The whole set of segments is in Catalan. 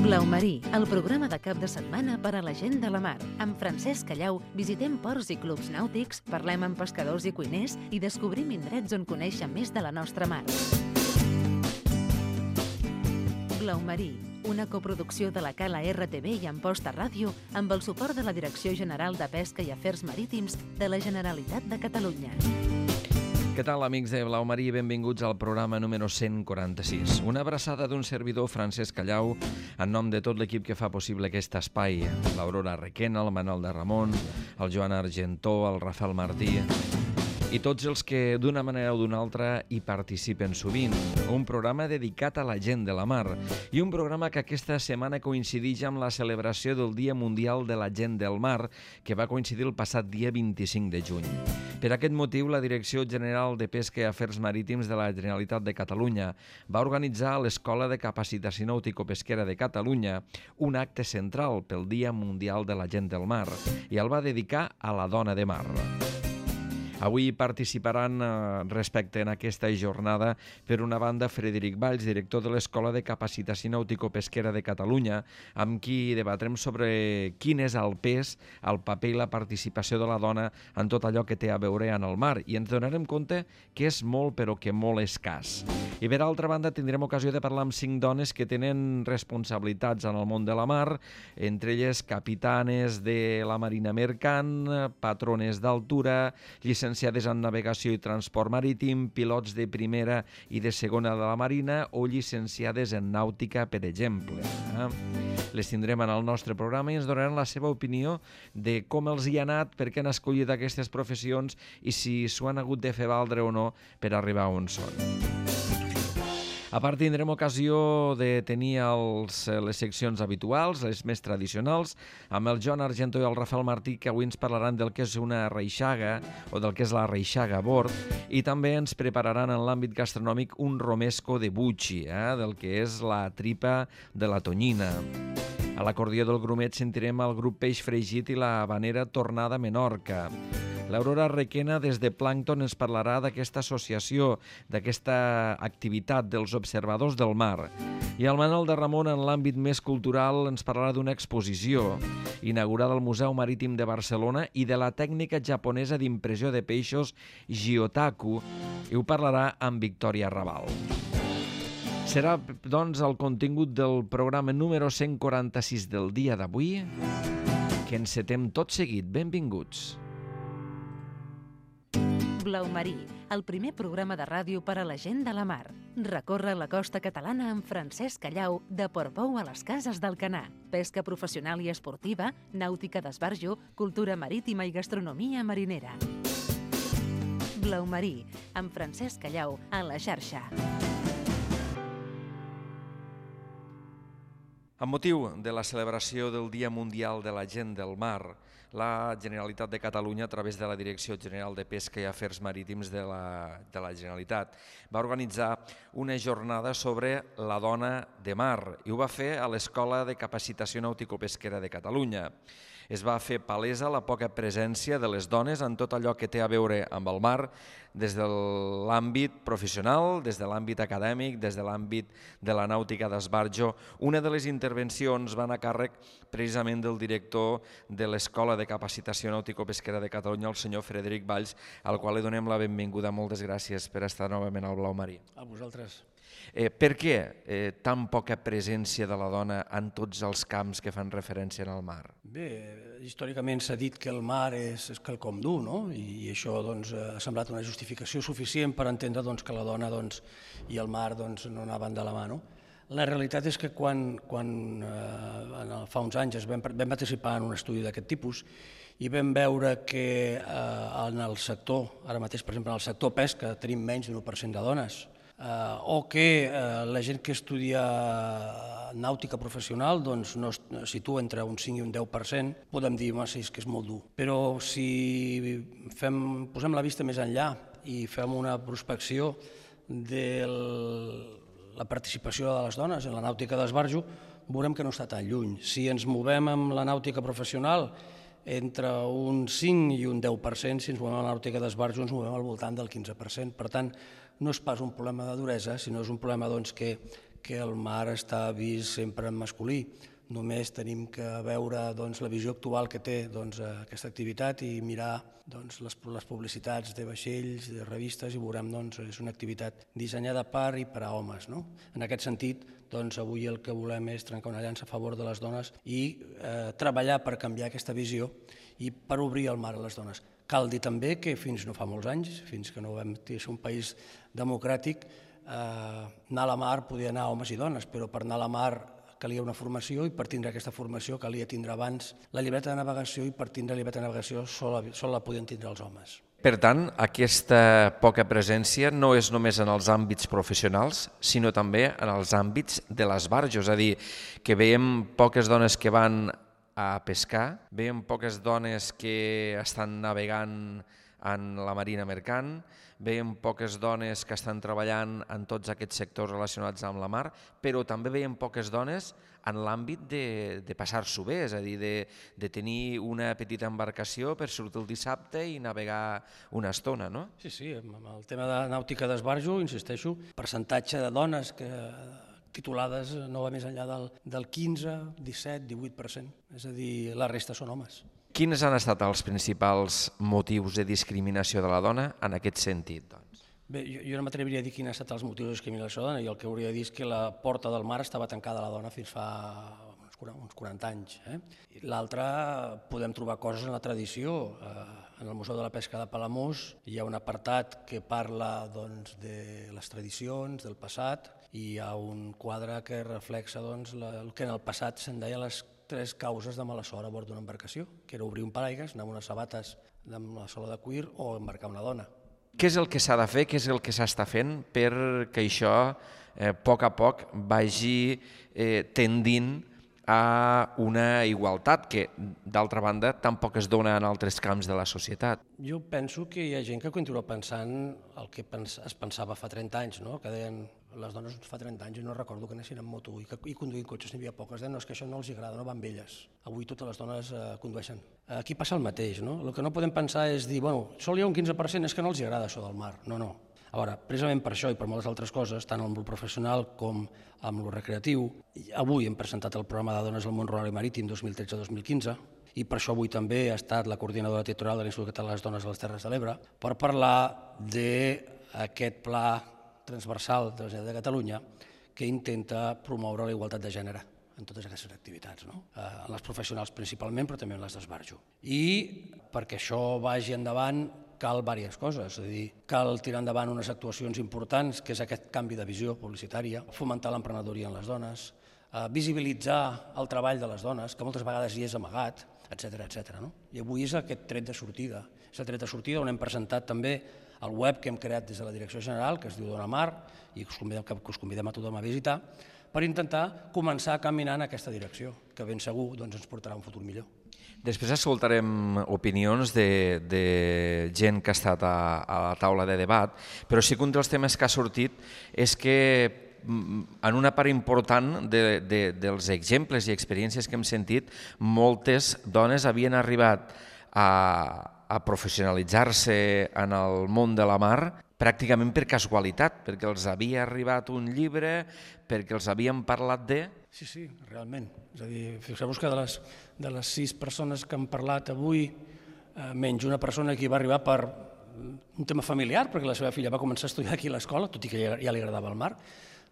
Blau Marí, el programa de cap de setmana per a la gent de la mar. Amb Francesc Callau visitem ports i clubs nàutics, parlem amb pescadors i cuiners i descobrim indrets on conèixer més de la nostra mar. Blau Marí, una coproducció de la Cala RTV i Amposta Ràdio amb el suport de la Direcció General de Pesca i Afers Marítims de la Generalitat de Catalunya. Què tal, amics de Blau Marí? Benvinguts al programa número 146. Una abraçada d'un servidor, Francesc Callau, en nom de tot l'equip que fa possible aquest espai. L'Aurora Requena, el Manuel de Ramon, el Joan Argentó, el Rafael Martí i tots els que d'una manera o d'una altra hi participen sovint. Un programa dedicat a la gent de la mar i un programa que aquesta setmana coincideix amb la celebració del Dia Mundial de la Gent del Mar, que va coincidir el passat dia 25 de juny. Per aquest motiu, la Direcció General de Pesca i Afers Marítims de la Generalitat de Catalunya va organitzar a l'Escola de Capacitació Nàutico-Pesquera de Catalunya un acte central pel Dia Mundial de la Gent del Mar i el va dedicar a la dona de mar. Avui participaran respecte en aquesta jornada, per una banda, Frederic Valls, director de l'Escola de Capacitació Nàutico-Pesquera de Catalunya, amb qui debatrem sobre quin és el pes, el paper i la participació de la dona en tot allò que té a veure en el mar. I ens donarem compte que és molt, però que molt escàs. I per altra banda, tindrem ocasió de parlar amb 5 dones que tenen responsabilitats en el món de la mar, entre elles capitanes de la Marina Mercant, patrones d'altura, llicenciades en navegació i transport marítim, pilots de primera i de segona de la Marina o llicenciades en nàutica, per exemple. Les tindrem en el nostre programa i ens donaran la seva opinió de com els hi ha anat, per què han escollit aquestes professions i si s'ho han hagut de fer valdre o no per arribar on són. A part, tindrem ocasió de tenir les seccions habituals, les més tradicionals, amb el Joan Argentó i el Rafael Martí, que avui ens parlaran del que és una reixaga o del que és la reixaga a bord, i també ens prepararan en l'àmbit gastronòmic un romesco de bucci, del que és la tripa de la tonyina. A l'acordió del grumet sentirem el grup Peix Fregit i la habanera Tornada Menorca. L'Aurora Requena, des de Plàncton, ens parlarà d'aquesta associació, d'aquesta activitat dels observadors del mar. I el Manuel de Ramon, en l'àmbit més cultural, ens parlarà d'una exposició inaugurada al Museu Marítim de Barcelona i de la tècnica japonesa d'impressió de peixos Gyotaku, i ho parlarà amb Victòria Raval. Serà, doncs, el contingut del programa número 146 del dia d'avui, que encetem tot seguit. Benvinguts. Blau Marí, el primer programa de ràdio per a la gent de la mar. Recorre la costa catalana amb Francesc Callau, de Portbou a les Cases d'Alcanar. Pesca professional i esportiva, nàutica d'esbarjo, cultura marítima i gastronomia marinera. Blau Marí, amb Francesc Callau, a la xarxa. Amb motiu de la celebració del Dia Mundial de la Gent del Mar, la Generalitat de Catalunya, a través de la Direcció General de Pesca i Afers Marítims de la Generalitat, va organitzar una jornada sobre la dona de mar i ho va fer a l'Escola de Capacitació Nàutico-Pesquera de Catalunya. Es va fer palesa la poca presència de les dones en tot allò que té a veure amb el mar, des de l'àmbit professional, des de l'àmbit acadèmic, des de l'àmbit de la nàutica d'esbarjo. Una de les intervencions va anar a càrrec precisament del director de l'Escola de Capacitació Nàutico-Pesquera de Catalunya, el senyor Frederic Valls, al qual li donem la benvinguda. Moltes gràcies per estar novament al Blau Marí. A vosaltres. Per què tan poca presència de la dona en tots els camps que fan referència al mar? Bé, històricament s'ha dit que el mar és quelcom dur, no? I això ha semblat una justificació suficient per entendre que la dona i el mar no anaven de la mà. La realitat és que quan fa uns anys vam participar en un estudi d'aquest tipus i vam veure que en el sector, ara mateix per exemple en el sector pesca, tenim menys d'un 1% de dones, o que la gent que estudia nàutica professional no es situa entre un 5 i un 10%, podem dir que és molt dur. Però si posem la vista més enllà i fem una prospecció de la participació de les dones en la nàutica d'esbarjo, veurem que no està tan lluny. Si ens movem amb la nàutica professional entre un 5 i un 10%, si ens movem a la nàutica d'esbarjo ens movem al voltant del 15%. Per tant, no és pas un problema de duresa, sinó és un problema que que el mar està vist sempre en masculí. Només tenim que veure la visió actual que té aquesta activitat i mirar les publicitats de vaixells, de revistes, i veurem que és una activitat dissenyada per i per a homes. En aquest sentit, avui el que volem és trencar una llança a favor de les dones i treballar per canviar aquesta visió i per obrir el mar a les dones. Cal dir també que fins no fa molts anys, fins que no vam ser un país democràtic, anar a la mar podia anar homes i dones, però per anar a la mar calia una formació i per tindre aquesta formació calia tindre abans la llibreta de navegació i per tindre la llibreta de navegació sol la podien tindre els homes. Per tant, aquesta poca presència no és només en els àmbits professionals, sinó també en els àmbits de l'esbarjo, és a dir, que veiem poques dones que van a pescar, veiem poques dones que estan navegant en la marina mercant, veiem poques dones que estan treballant en tots aquests sectors relacionats amb la mar, però també veiem poques dones en l'àmbit de passar-s'ho bé, és a dir, de tenir una petita embarcació per sortir el dissabte i navegar una estona, no? Sí, amb el tema de nàutica d'esbarjo, insisteixo, percentatge de dones titulades no va més enllà del 15, 17, 18%, és a dir, la resta són homes. Quins han estat els principals motius de discriminació de la dona en aquest sentit? Bé, jo no m'atreviria a dir quins han estat els motius de discriminació de la dona, i el que hauria de dir és que la porta del mar estava tancada a la dona fins fa uns 40 anys. L'altre, podem trobar coses en la tradició. En el Museu de la Pesca de Palamós hi ha un apartat que parla de les tradicions, del passat, i hi ha un quadre que reflexa el que en el passat se'n deia les 3 causes de mala sort a bord d'una embarcació, que era obrir un paraigües, anar amb unes sabates amb la sola de cuir o embarcar una dona. Què és el que s'ha de fer, què és el que s'està fent perquè això a poc vagi tendint a una igualtat que, d'altra banda, tampoc es dona en altres camps de la societat? Jo penso que hi ha gent que continua pensant el que es pensava fa 30 anys, no? Que deien les dones fa 30 anys, i no recordo que anessin en moto i conduint cotxes, n'hi havia poques, deien no, és que això no els agrada, no van amb elles. Avui totes les dones condueixen. Aquí passa el mateix, no? El que no podem pensar és dir, bueno, sol hi ha un 15%, és que no els agrada això del mar. No. A veure, precisament per això i per moltes altres coses, tant amb el professional com amb el recreatiu, avui hem presentat el programa de dones al món rural i marítim 2013-2015, i per això avui també ha estat la coordinadora territorial de l'Institut Català de les Dones a les Terres de l'Ebre, per parlar d'aquest pla transversal de la Generalitat de Catalunya que intenta promoure la igualtat de gènere en totes aquestes activitats, en les professionals principalment, però també en les d'esbarjo. I perquè això vagi endavant cal diverses coses, és a dir, cal tirar endavant unes actuacions importants, que és aquest canvi de visió publicitària, fomentar l'emprenedoria en les dones, visibilitzar el treball de les dones, que moltes vegades hi és amagat, etc. I avui és aquest tret de sortida. És el tret de sortida on hem presentat també el web que hem creat des de la Direcció General, que es diu Dona Mar, i que us convidem a tothom a visitar, per intentar començar a caminar en aquesta direcció, que ben segur ens portarà un futur millor. Després escoltarem opinions de gent que ha estat a la taula de debat, però sí que un dels temes que ha sortit és que en una part important dels exemples i experiències que hem sentit, moltes dones havien arribat a professionalitzar-se en el món de la mar pràcticament per casualitat, perquè els havia arribat un llibre, perquè els havien parlat de... Sí, realment. És a dir, fixeu-vos que de les 6 persones que han parlat avui, menys una persona que hi va arribar per un tema familiar, perquè la seva filla va començar a estudiar aquí a l'escola, tot i que ja li agradava el mar,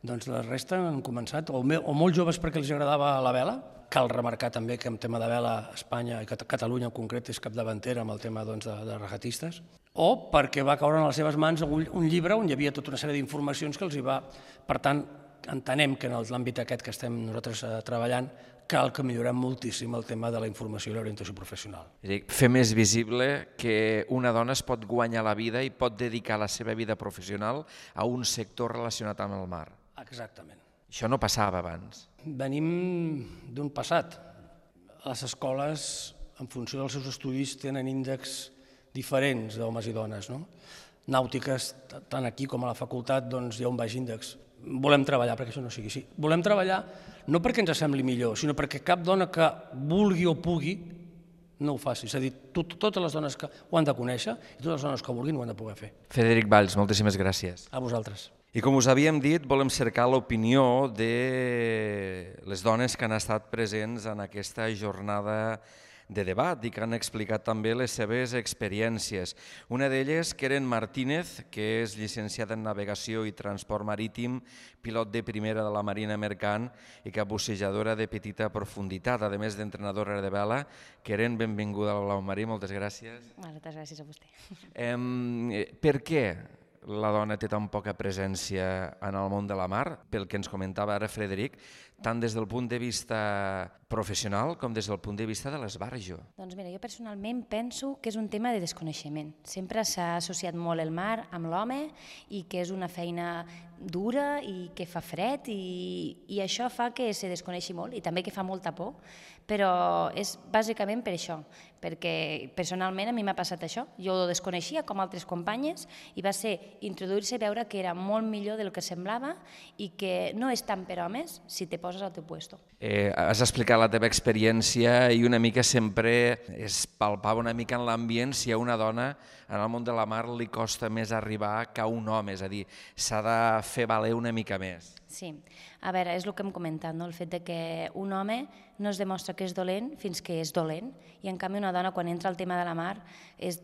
doncs la resta han començat, o molt joves perquè els agradava la vela. Cal remarcar també que en tema de vela Espanya i Catalunya en concret és capdavantera amb el tema de regatistes, o perquè va caure en les seves mans un llibre on hi havia tota una sèrie d'informacions que els hi va... Per tant, entenem que en l'àmbit aquest que estem nosaltres treballant cal que millorem moltíssim el tema de la informació i l'orientació professional. És a dir, fer més visible que una dona es pot guanyar la vida i pot dedicar la seva vida professional a un sector relacionat amb el mar. Exactament. Això no passava abans. Venim d'un passat. Les escoles, en funció dels seus estudis, tenen índexs diferents d'homes i dones. Nàutiques, tant aquí com a la facultat, hi ha un baix índex. Volem treballar perquè això no sigui així. Volem treballar no perquè ens sembli millor, sinó perquè cap dona que vulgui o pugui no ho faci. És a dir, totes les dones que ho han de conèixer i totes les dones que vulguin ho han de poder fer. Frederic Valls, moltíssimes gràcies. A vosaltres. I com us havíem dit, volem cercar l'opinió de les dones que han estat presents en aquesta jornada de debat i que han explicat també les seves experiències. Una d'elles, Keren Martínez, que és llicenciada en Navegació i Transport Marítim, pilot de primera de la Marina Mercant i capbussejadora de petita profunditat, a més d'entrenadora de vela. Keren, benvinguda a Blau Marí, moltes gràcies. Moltes gràcies a vostè. Per què la dona té tan poca presència en el món de la mar? Pel que ens comentava ara Frederic, tant des del punt de vista professional com des del punt de vista de l'esbarjo. Doncs mira, jo personalment penso que és un tema de desconeixement. Sempre s'ha associat molt el mar amb l'home i que és una feina dura i que fa fred i això fa que se desconeixi molt i també que fa molta por, però és bàsicament per això, perquè personalment a mi m'ha passat això. Jo ho desconeixia com altres companyes i va ser introduir-se i veure que era molt millor del que semblava i que no és tant per homes si te poses al teu puesto. Has explicat la teva experiència i una mica sempre es palpava una mica en l'ambient si a una dona en el món de la mar li costa més arribar que a un home, és a dir, s'ha de fer valer una mica més. Sí, a veure, és el que hem comentat, no? El fet de que un home no es demostra que és dolent fins que és dolent i en canvi una dona quan entra al tema de la mar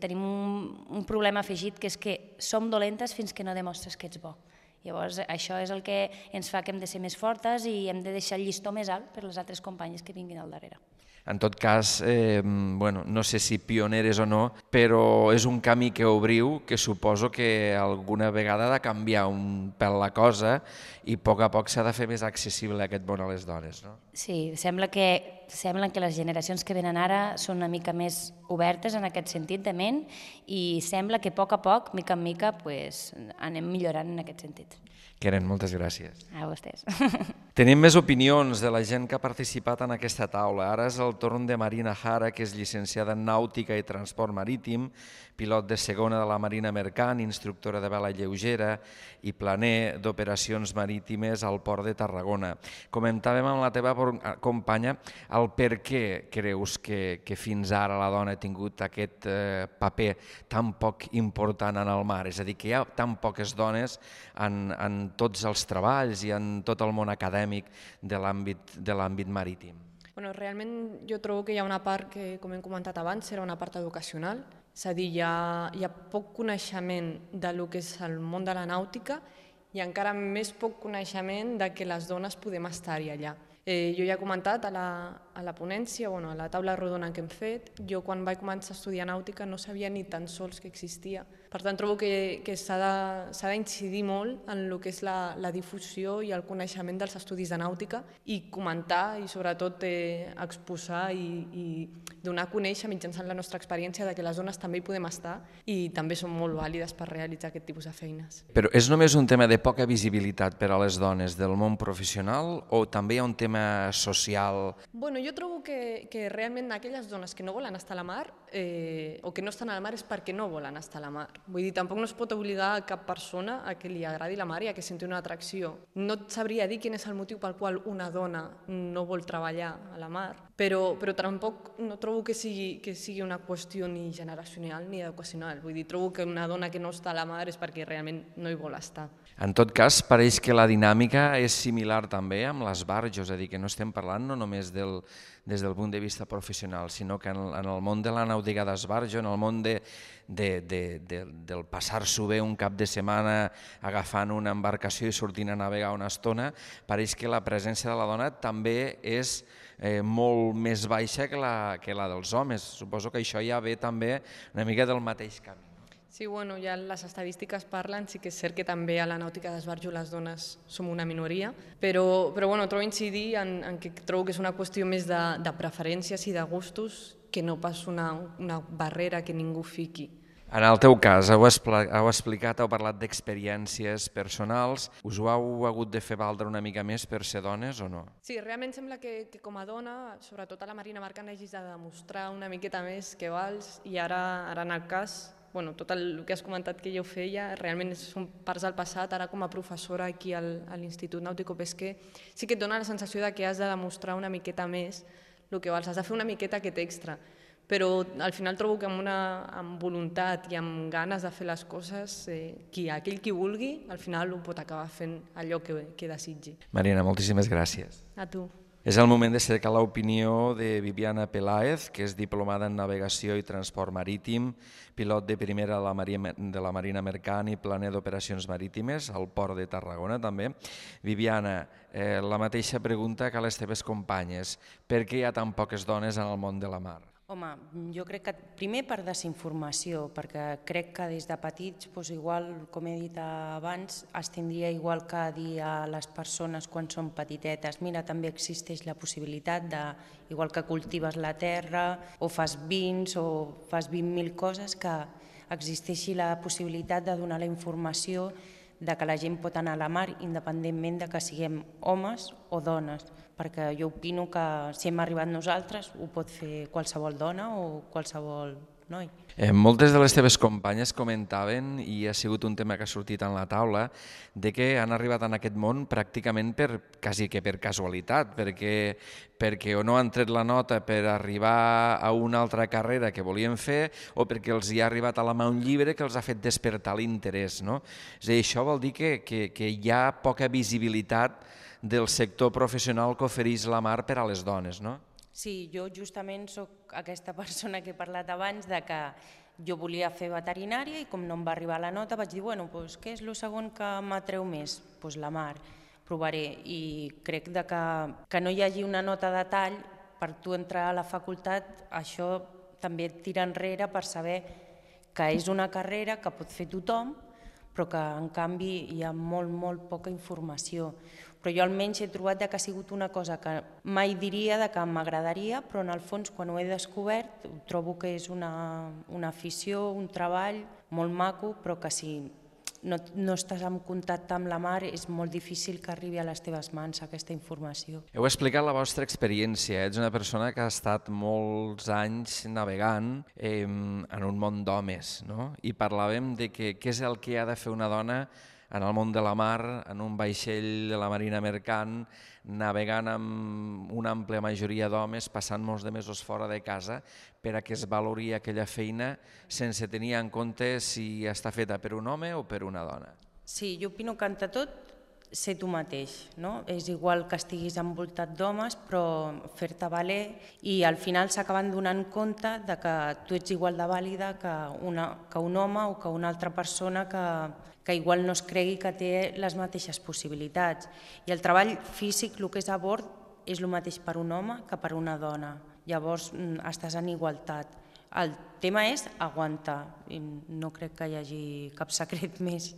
tenim un problema afegit que és que som dolentes fins que no demostres que ets bo. Llavors això és el que ens fa que hem de ser més fortes i hem de deixar el llistó més alt per les altres companyes que vinguin al darrere. En tot cas, no sé si pioneres o no, però és un camí que obriu que suposo que alguna vegada ha de canviar un pèl la cosa i a poc s'ha de fer més accessible aquest món a les dones, no? Sí, sembla que les generacions que venen ara són una mica més obertes en aquest sentit de ment i sembla que a poc, mica en mica, anem millorant en aquest sentit. Keren, moltes gràcies. A vostès. Tenim més opinions de la gent que ha participat en aquesta taula. Ara és el torn de Marina Jara, que és llicenciada en Nàutica i Transport Marítim, pilot de segona de la Marina Mercant, instructora de vela lleugera i planer d'operacions marítimes al Port de Tarragona. Comentàvem amb la teva companya el per què creus que fins ara la dona ha tingut aquest paper tan poc important en el mar, és a dir, que hi ha tan poques dones en tots els treballs i en tot el món acadèmic de l'àmbit marítim. Realment jo trobo que hi ha una part que, com hem comentat abans, era una part educacional, és a dir, hi ha poc coneixement del que és el món de la nàutica i encara més poc coneixement de que les dones podem estar-hi allà. Jo ja he comentat a la ponència, a la taula rodona que hem fet, jo quan vaig començar a estudiar nàutica no sabia ni tan sols que existia. Per tant, trobo que s'ha d'incidir molt en el que és la difusió i el coneixement dels estudis de nàutica i comentar i sobretot exposar i donar a conèixer mitjançant la nostra experiència de que les dones també hi podem estar i també són molt vàlides per realitzar aquest tipus de feines. Però és només un tema de poca visibilitat per a les dones del món professional o també hi ha un tema social? Jo trobo que realment aquelles dones que no volen estar a la mar o que no estan a la mar és perquè no volen estar a la mar. Vull dir, tampoc no es pot obligar a cap persona a que li agradi la mar i a que senti una atracció. No et sabria dir quin és el motiu pel qual una dona no vol treballar a la mar, però tampoc no trobo que sigui una qüestió ni generacional ni educacional. Vull dir, trobo que una dona que no està a la mar és perquè realment no hi vol estar. En tot cas, pareix que la dinàmica és similar també amb l'esbarjo, és a dir, que no estem parlant no només des del punt de vista professional, sinó que en el món de la nàutica d'esbarjo, en el món del passar-s'ho bé un cap de setmana agafant una embarcació i sortint a navegar una estona, pareix que la presència de la dona també és molt més baixa que la dels homes. Suposo que això ja ve també una mica del mateix camí. Sí, ja les estadístiques parlen, sí que és cert que també a la nàutica d'esbarjo les dones som una minoria, però trobo incidir en que trobo que és una qüestió més de preferències i de gustos que no pas una barrera que ningú fiqui. En el teu cas, heu explicat, heu parlat d'experiències personals. Us ho heu hagut de fer valdre una mica més per ser dones o no? Sí, realment sembla que com a dona, sobretot a la Marina Mercant, hagis de demostrar una miqueta més que vals i ara en el cas, tot el que has comentat que jo feia, realment són parts del passat. Ara com a professora aquí a l'Institut Nàutico-Pesquer sí que et dona la sensació que has de demostrar una miqueta més el que vals, has de fer una miqueta aquest extra. Però al final trobo que amb voluntat i amb ganes de fer les coses, aquell qui vulgui, al final ho pot acabar fent allò que desitgi. Marina, moltíssimes gràcies. A tu. És el moment de cercar l'opinió de Viviana Peláez, que és diplomada en Navegació i Transport Marítim, pilot de primera de la Marina Mercant i planer d'operacions marítimes al Port de Tarragona també. Viviana, la mateixa pregunta que a les teves companyes. Per què hi ha tan poques dones en el món de la mar? Home, jo crec que primer per desinformació, perquè crec que des de petits, igual, com he dit abans, es tindria igual que dir a les persones quan són petitetes, mira, també existeix la possibilitat de, igual que cultives la terra, o fas vins, o fas 20.000 coses, que existeixi la possibilitat de donar la informació de que la gent pot anar a la mar independentment de que siguem homes o dones, perquè jo opino que si hem arribat nosaltres ho pot fer qualsevol dona o qualsevol noi. Moltes de les teves companyes comentaven, i ha sigut un tema que ha sortit en la taula, de que han arribat en aquest món pràcticament quasi que per casualitat, perquè o no han tret la nota per arribar a una altra carrera que volien fer o perquè els hi ha arribat a la mà un llibre que els ha fet despertar l'interès. No? És a dir, això vol dir que hi ha poca visibilitat del sector professional que ofereix la mar per a les dones, no? Sí, jo justament sóc aquesta persona que he parlat abans de que jo volia fer veterinària i com no em va arribar la nota vaig dir, bueno, què és el segon que m'atreu més? Doncs la mar, provaré. I crec que no hi hagi una nota de tall per tu entrar a la facultat, això també et tira enrere per saber que és una carrera que pot fer tothom, però que en canvi hi ha molt poca informació. Però jo almenys he trobat que ha sigut una cosa que mai diria que m'agradaria, però en el fons quan ho he descobert trobo que és una afició, un treball molt maco, però que si no estàs en contacte amb la mar és molt difícil que arribi a les teves mans aquesta informació. Heu explicat la vostra experiència, ets una persona que ha estat molts anys navegant en un món d'homes, no? I parlàvem de què és el que ha de fer una dona en el món de la mar, en un vaixell de la Marina Mercant, navegant amb una àmplia majoria d'homes, passant molts de mesos fora de casa, per a que es valori aquella feina sense tenir en compte si està feta per un home o per una dona. Sí, jo opino que ante tot ser tu mateix, no? És igual que estiguis envoltat d'homes, però fer-te valer i al final s'acaben donant compte de que tu ets igual de vàlida que un home o que una altra persona que igual no es cregui que té les mateixes possibilitats. I el treball físic, el que és a bord, és el mateix per un home que per una dona. Llavors estàs en igualtat. El tema és aguantar, i no crec que hi hagi cap secret més.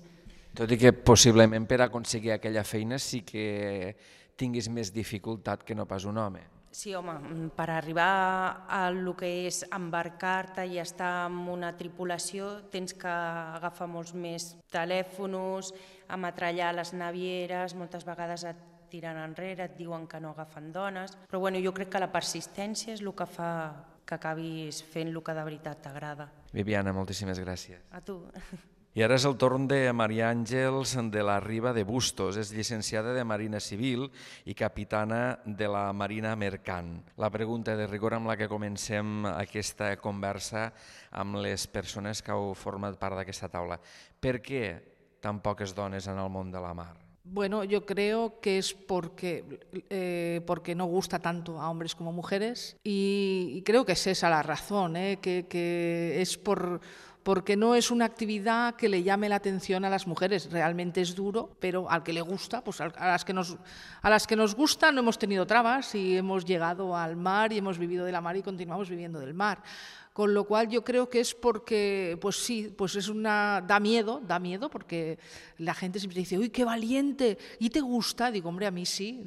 Tot i que possiblement per aconseguir aquella feina sí que tinguis més dificultat que no pas un home. Sí, home, per arribar a el que és embarcar-te i estar en una tripulació tens que agafar molts més telèfons, ametrallar les navieres, moltes vegades et tiren enrere, et diuen que no agafen dones, però bueno, jo crec que la persistència és el que fa que acabis fent el que de veritat t'agrada. Viviana, moltíssimes gràcies. A tu. I ara és el torn de Maria Àngels de la Riba de Bustos. És llicenciada de Marina Civil i capitana de la Marina Mercant. La pregunta de rigor amb la que comencem aquesta conversa amb les persones que heu format part d'aquesta taula. Per què tan poques dones en el món de la mar? Bueno, yo creo que es porque no gusta tanto a hombres como a mujeres y creo que es esa la razón, que es porque no es una actividad que le llame la atención a las mujeres. Realmente es duro, pero al que le gusta, pues a las que nos gusta no hemos tenido trabas y hemos llegado al mar y hemos vivido de la mar y continuamos viviendo del mar. Con lo cual yo creo que es porque, pues sí, pues da miedo porque la gente siempre dice, uy, qué valiente, ¿y te gusta? Digo, hombre, a mí sí,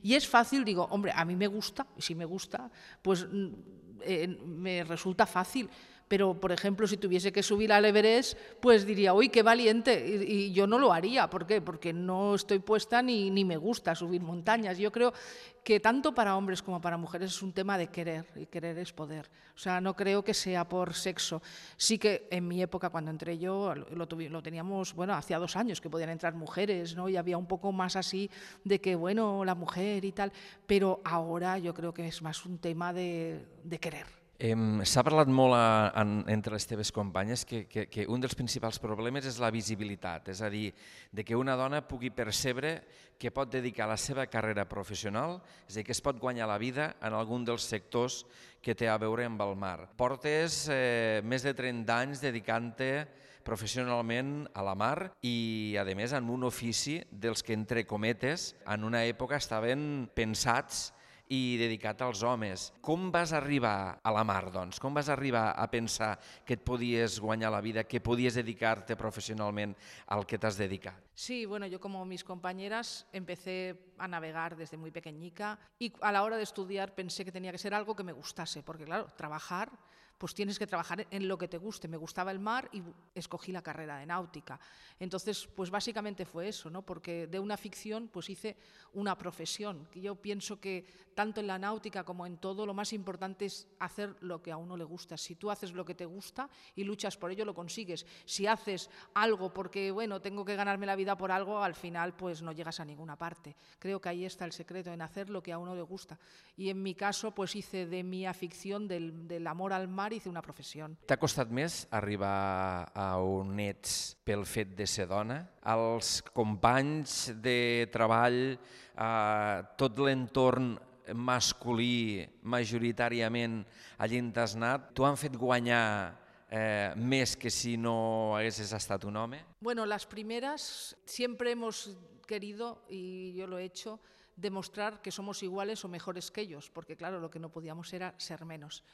y es fácil, digo, hombre, a mí me gusta, y si me gusta, pues me resulta fácil. Pero, por ejemplo, si tuviese que subir al Everest, pues diría, uy, qué valiente, y yo no lo haría. ¿Por qué? Porque no estoy puesta ni me gusta subir montañas. Yo creo que tanto para hombres como para mujeres es un tema de querer, y querer es poder. O sea, no creo que sea por sexo. Sí que en mi época, cuando entré yo, lo teníamos, bueno, hacía 2 años que podían entrar mujeres, ¿no? Y había un poco más así de que, bueno, la mujer y tal. Pero ahora yo creo que es más un tema de querer. S'ha parlat molt entre les teves companyes que un dels principals problemes és la visibilitat, és a dir, de que una dona pugui percebre que pot dedicar la seva carrera professional, és a dir, que es pot guanyar la vida en algun dels sectors que té a veure amb el mar. Portes més de 30 anys dedicant-te professionalment a la mar i, a més, en un ofici dels que, entre cometes, en una època estaven pensats i dedicat als homes. Com vas arribar a la mar, doncs? Com vas arribar a pensar que et podies guanyar la vida, que podies dedicar-te profesionalment al que t'has dedicat? Sí, bueno, yo como mis compañeras empecé a navegar desde muy pequeñica y a la hora de estudiar pensé que tenía que ser algo que me gustase, porque claro, trabajar, pues tienes que trabajar en lo que te guste. Me gustaba el mar y escogí la carrera de náutica. Entonces, pues básicamente fue eso, ¿no? Porque de una ficción pues hice una profesión. Que yo pienso que tanto en la náutica como en todo, lo más importante es hacer lo que a uno le gusta. Si tú haces lo que te gusta y luchas por ello, lo consigues. Si haces algo porque, bueno, tengo que ganarme la vida por algo, al final pues no llegas a ninguna parte. Creo que ahí está el secreto, en hacer lo que a uno le gusta. Y en mi caso, pues hice de mi afición, del amor al mar, hice una professió. T'ha costat més arribar a on ets pel fet de ser dona? Els companys de treball, tot l'entorn masculí, majoritàriament allí on t'has anat, t'ho han fet guanyar més que si no haguessis estat un home? Bueno, las primeras siempre hemos querido, y yo lo he hecho, demostrar que somos iguales o mejores que ellos, porque claro, lo que no podíamos era ser menos.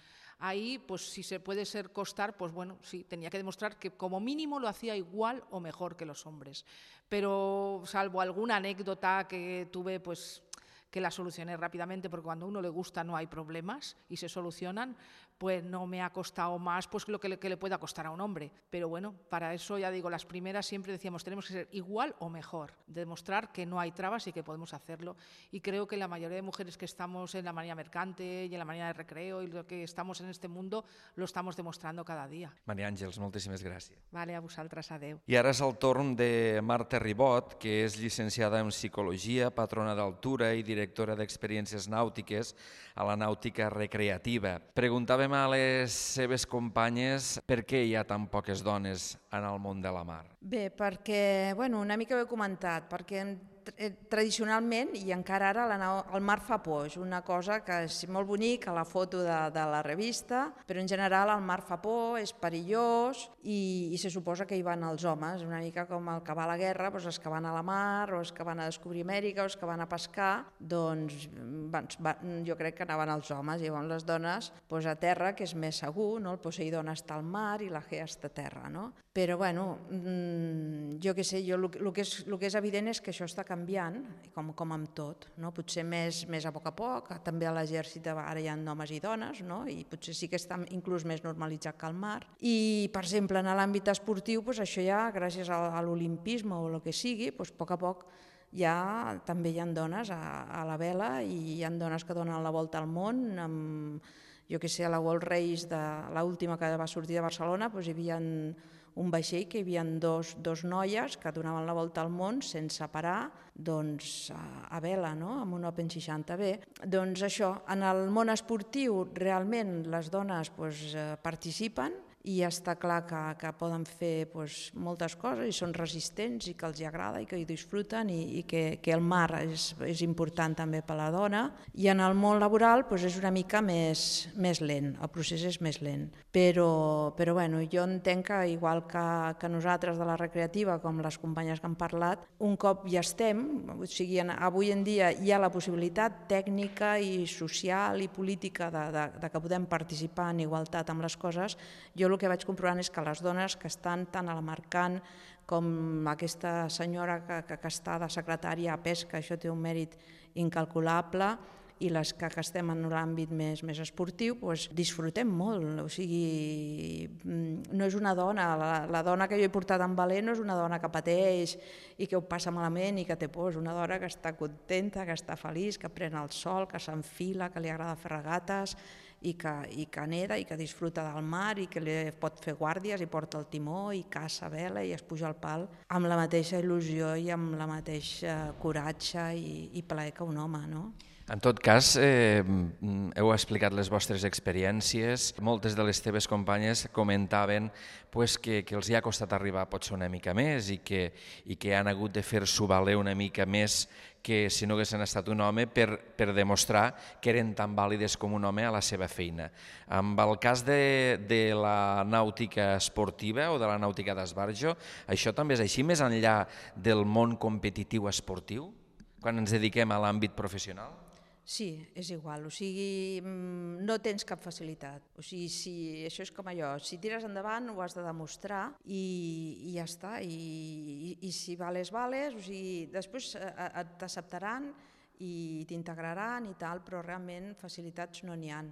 Ahí, pues si se puede costar, pues bueno, sí, tenía que demostrar que como mínimo lo hacía igual o mejor que los hombres. Pero salvo alguna anécdota que tuve, pues que la solucioné rápidamente, porque cuando a uno le gusta no hay problemas y se solucionan, pues no me ha costado más pues lo que le pueda costar a un hombre. Pero bueno, para eso ya digo, las primeras siempre decíamos, tenemos que ser igual o mejor, demostrar que no hay trabas y que podemos hacerlo. Y creo que la mayoría de mujeres que estamos en la marina mercante y en la marina de recreo y lo que estamos en este mundo, lo estamos demostrando cada dia. Maria Àngels, moltíssimes gràcies. Vale, a vosaltres, adeu. I ara és el torn de Marta Ribot, que és llicenciada en Psicologia, patrona d'altura i directora d'experiències nàutiques a la nàutica recreativa. Preguntàvem a les seves companyes per què hi ha tan poques dones en el món de la mar. Bé, perquè, bueno, una mica ho he comentat, perquè tradicionalment, i encara ara, el mar fa por. És una cosa que és molt bonic a la foto de la revista, però en general el mar fa por, és perillós i se suposa que hi van els homes, una mica com el que va a la guerra, doncs els que van a la mar o els que van a descobrir Amèrica o els que van a pescar, doncs jo crec que anaven els homes, i llavors les dones doncs a terra, que és més segur, no? El Poseidon està al mar i la Gea està a terra, no? Però bueno, jo què sé, el que és evident és que això està canviant, com amb tot, no? Potser més a poc, també a l'exèrcit ara hi ha homes i dones, no? I potser sí que està inclús més normalitzat que el mar. I, per exemple, en l'àmbit esportiu, això ja, gràcies a l'olimpisme o el que sigui, a poc ja també hi ha dones a la vela i hi ha dones que donen la volta al món. Jo què sé, a la World Race, l'última que va sortir de Barcelona, hi havia un vaixell que hi havia dos noies que donaven la volta al món sense parar, doncs a vela, amb un Open 60B. Doncs això, en el món esportiu realment les dones participen i està clar que poden fer moltes coses i són resistents i que els agrada i que hi disfruten i que el mar és important també per a la dona. I en el món laboral és una mica més lent, el procés és més lent. Però bueno, jo entenc que igual que nosaltres de la recreativa, com les companyes que han parlat, un cop ja estem, o sigui, avui en dia hi ha la possibilitat tècnica i social i política de que podem participar en igualtat amb les coses. Jo el que vaig comprovant és que les dones que estan tant a la Mercant com aquesta senyora que està de secretària a Pesca, això té un mèrit incalculable, i les que estem en l'àmbit més esportiu, disfrutem molt. O sigui, no és una dona, la dona que jo he portat en Valer no és una dona que pateix i que ho passa malament i que té por, és una dona que està contenta, que està feliç, que pren el sol, que s'enfila, que li agrada fer regates i que neda i que disfruta del mar i que pot fer guàrdies i porta el timó i caça a vela i es puja al pal amb la mateixa il·lusió i amb la mateixa coratge i plaer que un home, no? En tot cas, heu explicat les vostres experiències. Moltes de les teves companyes comentaven que els hi ha costat arribar potser una mica més i que han hagut de fer-s'ho valer una mica més que si no haguessin estat un home per demostrar que eren tan vàlides com un home a la seva feina. Amb el cas de la nàutica esportiva o de la nàutica d'esbarjo, això també és així més enllà del món competitiu esportiu, quan ens dediquem a l'àmbit professional? Sí, és igual, o sigui, no tens cap facilitat. O sigui, això és com allò, si tires endavant ho has de demostrar i ja està, i si vales, o sigui, després t'acceptaran i t'integraran i tal, però realment facilitats no n'hi ha.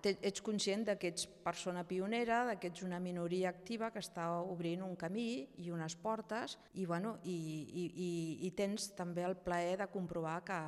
Ets conscient que ets persona pionera, que ets una minoria activa que està obrint un camí i unes portes i tens també el plaer de comprovar que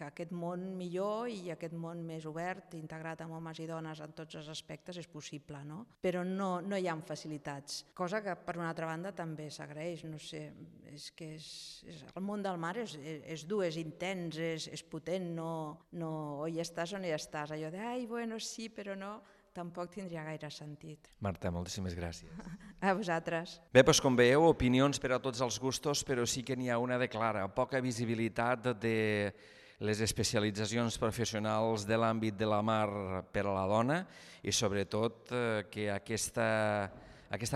aquest món millor i aquest món més obert, integrat amb homes i dones en tots els aspectes, és possible, no? Però no hi ha facilitats, cosa que per una altra banda també s'agraeix, no sé, és que el món del mar és dur, és intens, és potent, no o hi estàs o no hi estàs, allò de ai, bueno, sí, però no, tampoc tindria gaire sentit. Marta, moltíssimes gràcies. A vosaltres. Bé, doncs com veieu, opinions per a tots els gustos, però sí que n'hi ha una de clara, poca visibilitat de les especialitzacions professionals de l'àmbit de la mar per a la dona i sobretot que aquesta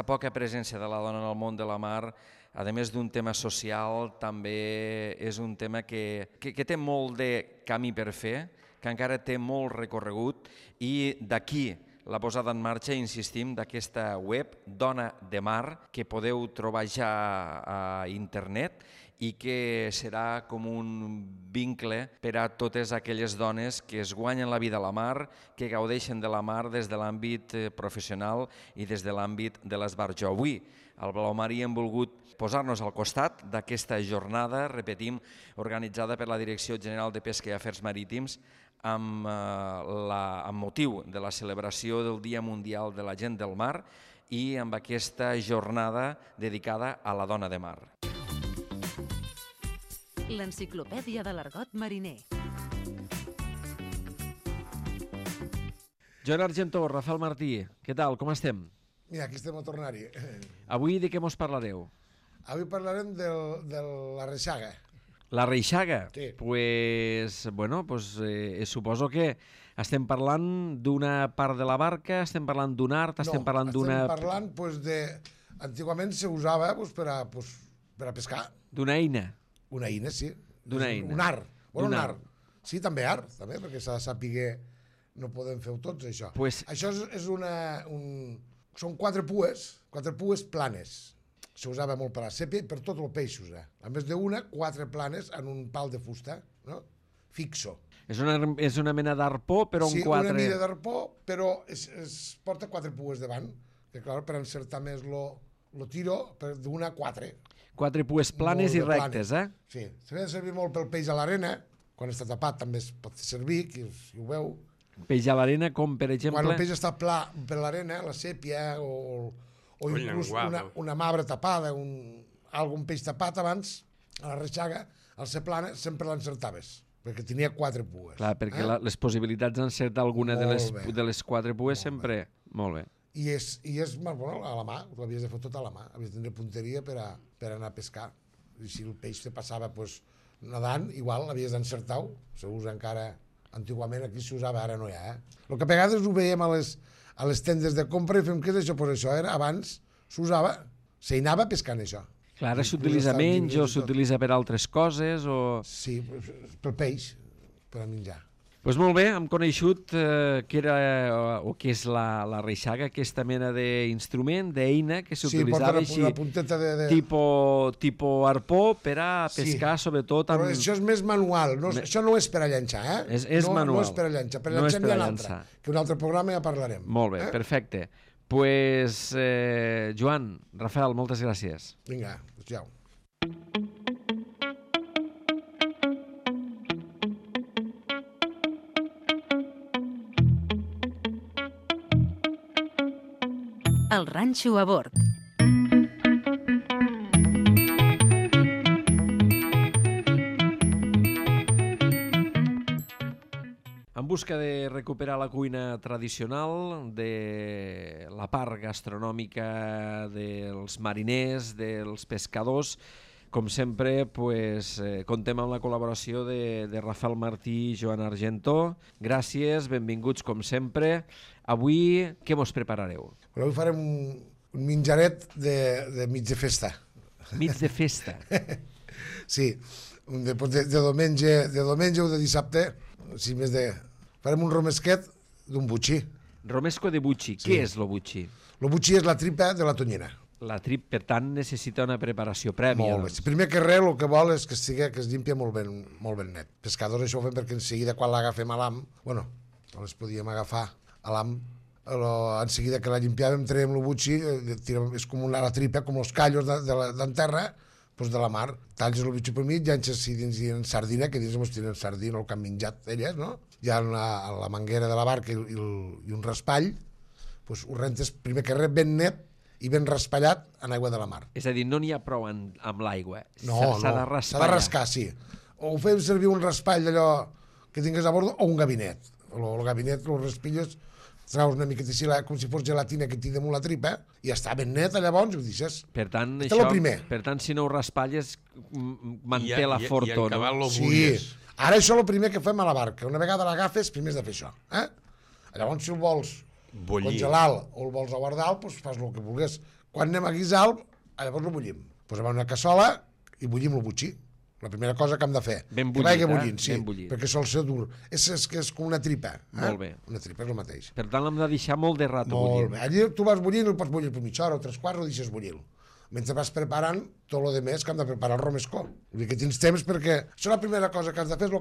poca presència de la dona en el món de la mar, a més d'un tema social, també és un tema que té molt de camí per fer, que encara té molt recorregut i d'aquí la posada en marxa, insistim, d'aquesta web Dona de Mar, que podeu trobar ja a internet i que serà com un vincle per a totes aquelles dones que es guanyen la vida a la mar, que gaudeixen de la mar des de l'àmbit professional i des de l'àmbit de l'esbarjo. Avui, al Blau Marí hem volgut posar-nos al costat d'aquesta jornada, repetim, organitzada per la Direcció General de Pesca i Afers Marítims, amb motiu de la celebració del Dia Mundial de la Gent del Mar i amb aquesta jornada dedicada a la dona de mar. L'enciclopèdia de l'argot mariner. Joan Argentó, Rafael Martí, què tal, com estem? Mira, aquí estem a tornar-hi. Avui de què mos parlareu? Avui parlarem de la reixaga. La reixaga? Sí. Suposo que estem parlant d'una part de la barca, estem parlant d'un art, estem parlant d'una... No, estem parlant de... Antigament se usava per a pescar. D'una eina? Una eina, sí. D'una eina. Un art. Bueno, un art. Sí, també art, també, perquè s'ha de saber no podem fer-ho tots, això. Això és són 4 pues planes. S'usava molt per a la sèpia i per tots els peixos. A més d'una, 4 planes en un pal de fusta, no? Fixo. És una mena d'arpó, però sí, 4... Sí, una mida d'arpó, però es porta 4 pues davant, que clar, per encertar més lo tiro d'una a 4. 4 pues planes i rectes, Sí, s'ha de servir molt pel peix a l'arena, quan està tapat també es pot servir, si ho veu. Peix a l'arena, com per exemple... Quan el peix està pla per l'arena, la sèpia o inclús una mabre tapada, algun peix tapat abans, a la reixaga, al ser plana, sempre l'encertaves, perquè tenia 4 pues. Clar, perquè les possibilitats d'encertar alguna de les 4 pues sempre... Molt bé. I és bueno, a la mà, ho havies de fer tot a la mà, havies de tenir punteria per anar a pescar. I si el peix te passava nedant, igual l'havies d'encertar-ho, s'usa encara, antigament aquí s'usava, ara no hi ha. El que a vegades ho veiem a les tendes de compra i fem què és això, però això era abans, s'usava, s'anava pescant això. Clar, ara s'utilitza menys o s'utilitza per altres coses o... Sí, pel peix, per a menjar. Doncs molt bé, hem coneixut què era o què és la reixaga, aquesta mena d'instrument, d'eina que s'utilitzava així, tipus arpó per a pescar, sobretot amb... Però això és més manual, això no és per a llançar, És manual. No és per a llançar, per a llançar n'hi ha l'altre, que un altre programa ja parlarem. Molt bé, perfecte. Doncs, Joan, Rafael, moltes gràcies. Vinga, adéu. El ranxo a bord. En busca de recuperar la cuina tradicional, de la part gastronòmica dels mariners, dels pescadors, com sempre, contem amb la col·laboració de Rafael Martí i Joan Argentó. Gràcies, benvinguts com sempre. Avui, què mos preparareu? Avui farem un menjaret de mig de festa. Mig de festa? Sí, de diumenge o de dissabte, farem un romesquet d'un butxí. Romesco de butxí. Què és lo butxí? Lo butxí és la tripa de la tonyina. La trip, per tant, necessita una preparació prèvia. Molt bé. Primer que res, el que vol és que es llimpia molt ben net. Pescadors això ho fem perquè en seguida, quan l'agafem a l'am, les podíem agafar a l'am, en seguida que la limpiàvem, traiem el butxí, és com la tripa, com els callos d'en terra, de la mar. Talles el butxí per mig, llances dins sardina, que dins ens tiren sardina, el que han menjat elles, no? Hi ha la manguera de la barca i un raspall, ho rentes primer que res ben net, i ben raspallat en aigua de la mar. És a dir, no n'hi ha prou amb l'aigua. No, s'ha de raspallar. S'ha de rascar, sí. O fem servir un raspall d'allò que tingués a bord o un gabinet. El gabinet, els raspilles, traus una miqueta així, com si fos gelatina que t'hi damunt la tripa, i està ben net, llavors, ho deixes. Per tant, si no ho raspalles, manté la forto, no? Sí. Ara això és el primer que fem a la barca. Una vegada l'agafes, primer has de fer això. Llavors, si el vols congelar o el vols a guardar, fas el que vulguis. Quan anem a guisar, llavors el bullim. Posem una cassola i bullim el butxí. La primera cosa que hem de fer. Ben bullit, sí, perquè sol ser dur. És com una tripa. Molt bé. Una tripa és el mateix. Per tant, l'hem de deixar molt de rato bullint. Molt bé. Allí tu vas bullint, el pots bullir per mitja hora o 3/4, o deixes bullir. Mentre vas preparant tot el més que hem de preparar el romesco. Vull dir que tens temps perquè... Això la primera cosa que has de fer és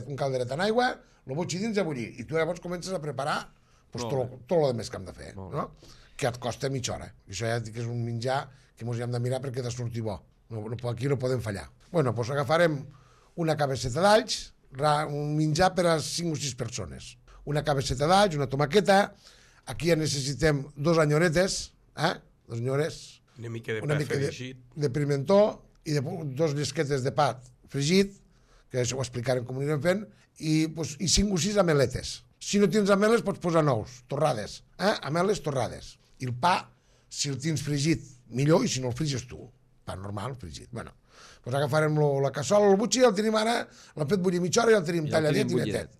un calderet en aigua, el butxí dins a bullir, i tu llavors comences a preparar tot el més que hem de fer, no? Que et costa mitja hora. Això ja dic que és un menjar que ens hem de mirar perquè ha de sortir bo. Aquí no podem fallar. Agafarem una cabeçeta d'alls, un menjar per a 5 o 6 persones. Una cabeçeta d'alls, una tomaqueta, aquí ja necessitem 2 anyoretes, 2 anyores, una mica de pa fregit, de pimentó i 2 llesquetes de pa fregit, que això ho explicarem com ho anirem fent, i 5 o 6 ameletes. Si no tens ameles, pots posar nous, torrades. Ameles torrades. I el pa, si el tens fregit, millor, i si no el friges tu. Pa normal, fregit. Agafarem la cassola, el butxí, el tenim ara, l'hem fet bullir mitja hora i el tenim talladet i netet.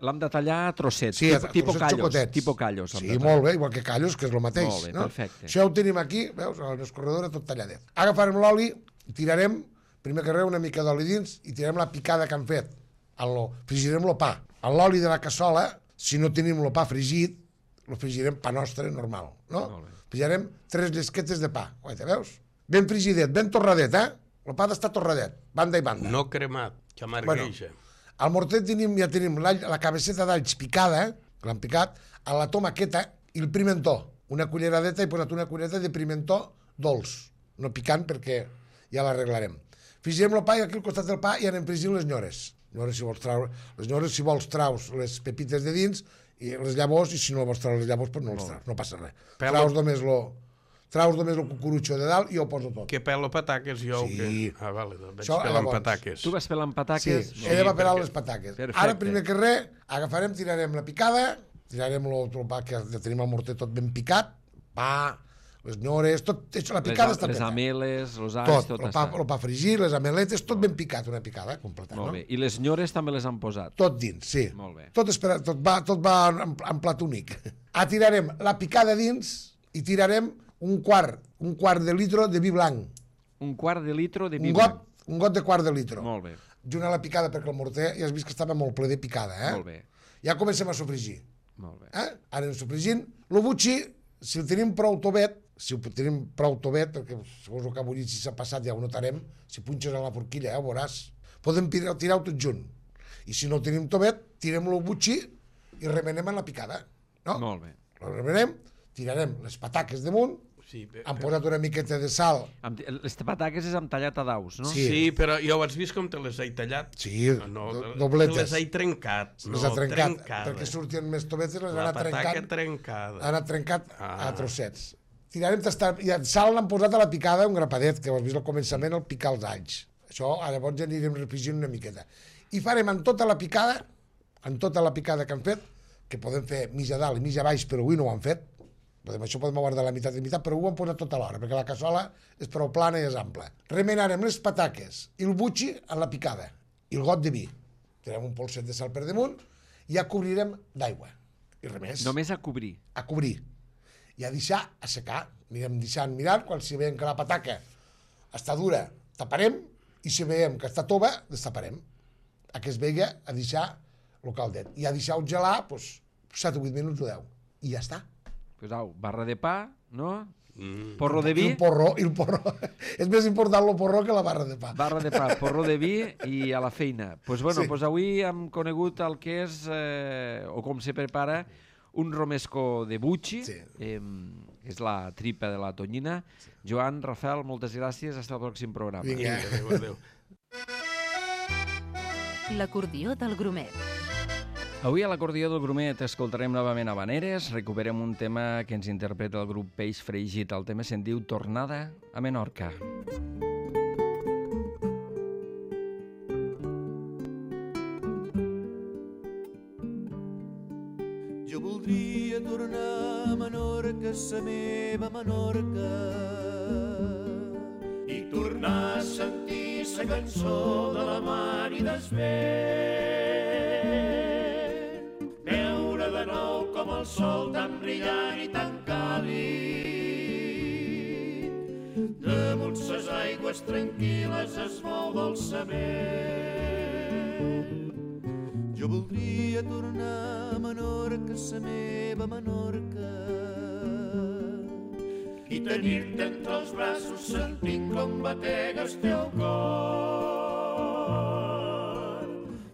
L'hem de tallar a trossets, sí, tipus callos. Sí, molt bé, igual que callos, que és el mateix. Molt bé, perfecte. Això ho tenim aquí, veus, a l'escorredora tot talladet. Agafarem l'oli, tirarem, primer que res, una mica d'oli dins, i tirarem la picada que han fet. Frigirem el pa. A l'oli de la cassola, si no tenim el pa fregit, el frigirem pa nostre, normal, no? Frigirem 3 llesquetes de pa, veus? Ben frigidet, ben torradet, El pa d'estar torradet, banda i banda. No cremat, que amargueja. Al morter ja tenim la cabeceta d'alls picada, que l'han picat, a la tomaqueta i el pimentó. Una culleradeta, he posat una cullereta de pimentó dolç, no picant perquè ja l'arreglarem. Frigirem el pa i aquí al costat del pa i anem fregint les nyores. Les nyores, si vols, traus les pepites de dins i les llavors, i si no vols treure les llavors, no les traus, no passa res. Traus només el cucurutxo de dalt i ho poso tot. Que pelo pataques, jo? Sí. Vale, doncs vaig pelant pataques. Tu vas pelant pataques? Sí, ella va pelar les pataques. Ara, primer que res, tirarem la picada, tirarem el pa que tenim al morter tot ben picat, pa, les nyores, tot, la picada està les ameles, els alls, tot està. El pa fregit, les ameletes, tot ben picat, una picada completa. Molt bé, i les nyores també les han posat? Tot dins, sí. Molt bé. Tot va en plat únic. Tirarem la picada dins i tirarem un quart de litro de vi blanc. Un quart de litro de vi blanc? Un got de quart de litro. Molt bé. Junt a la picada, perquè el morter ja has vist que estava molt ple de picada, Molt bé. Ja comencem a sofregir. Molt bé. Ara anem sofregint. El butxí, si el tenim prou tovet, perquè segons el que ha bullit, si s'ha passat ja ho notarem, si punxes a la forquilla ja ho veuràs, podem tirar-ho tot junt. I si no el tenim tovet, tirem el butxí i remenem en la picada. Molt bé. El remenem, tirarem les pataques damunt, han posat una miqueta de sal. Les pataques és amb tallat a daus, no? Sí, però jo has vist com te les he tallat? Sí, dobletes. Te les he trencat. Les ha trencat, perquè sortien més tovetes, les han anat trencat a trossets. Tirarem tastar, i sal l'han posat a la picada un grapadet, que ho has vist al començament, el picar els alls. Això, llavors ja anirem refregint una miqueta. I farem en tota la picada, en tota la picada que han fet, que podem fer mitja dalt i mitja baix, però avui no ho han fet, això podem guardar la meitat i meitat, però ho han posat tot alhora, perquè la cassola és prou plana i és ampla. Remenarem les pataques i el butxi en la picada, i el got de vi. Tirem un polset de sal per damunt i ja cobrirem d'aigua. I res més. Només a cobrir. A cobrir. I a deixar assecar. Anirem deixant mirant, quan si veiem que la pataca està dura, taparem, i si veiem que està tova, destaparem. A que es vegi a deixar el caldet. I a deixar-ho gelar, 7 o 8 minuts o 10. I ja està. Pues au, barra de pa, no? Porro de vi. I el porro. És més important el porro que la barra de pa. Barra de pa, porro de vi i a la feina. Pues bueno, Sí. pues avui hem conegut el que és, o com se prepara, un romesco de butxi, Sí. és la tripa de la tonyina. Joan, Rafael, moltes gràcies, fins al pròxim programa. Vinga. Adéu. L'acordió del Grumet. Avui a l'acordió del Grumet escoltarem novament Habaneres, recuperem un tema que ens interpreta el grup Peix Fregit. El tema se'n diu Tornada a Menorca. Jo voldria tornar a Menorca, sa meva Menorca, i tornar a sentir sa cançó de la mar i des vent. Veure de nou com el sol tan brillant i tan càlid damunt ses aigües tranquil·les es mou dolçament. Jo voldria tornar a Menorca, sa meva Menorca, i tenir-te entre els braços sentint com batega el teu cor,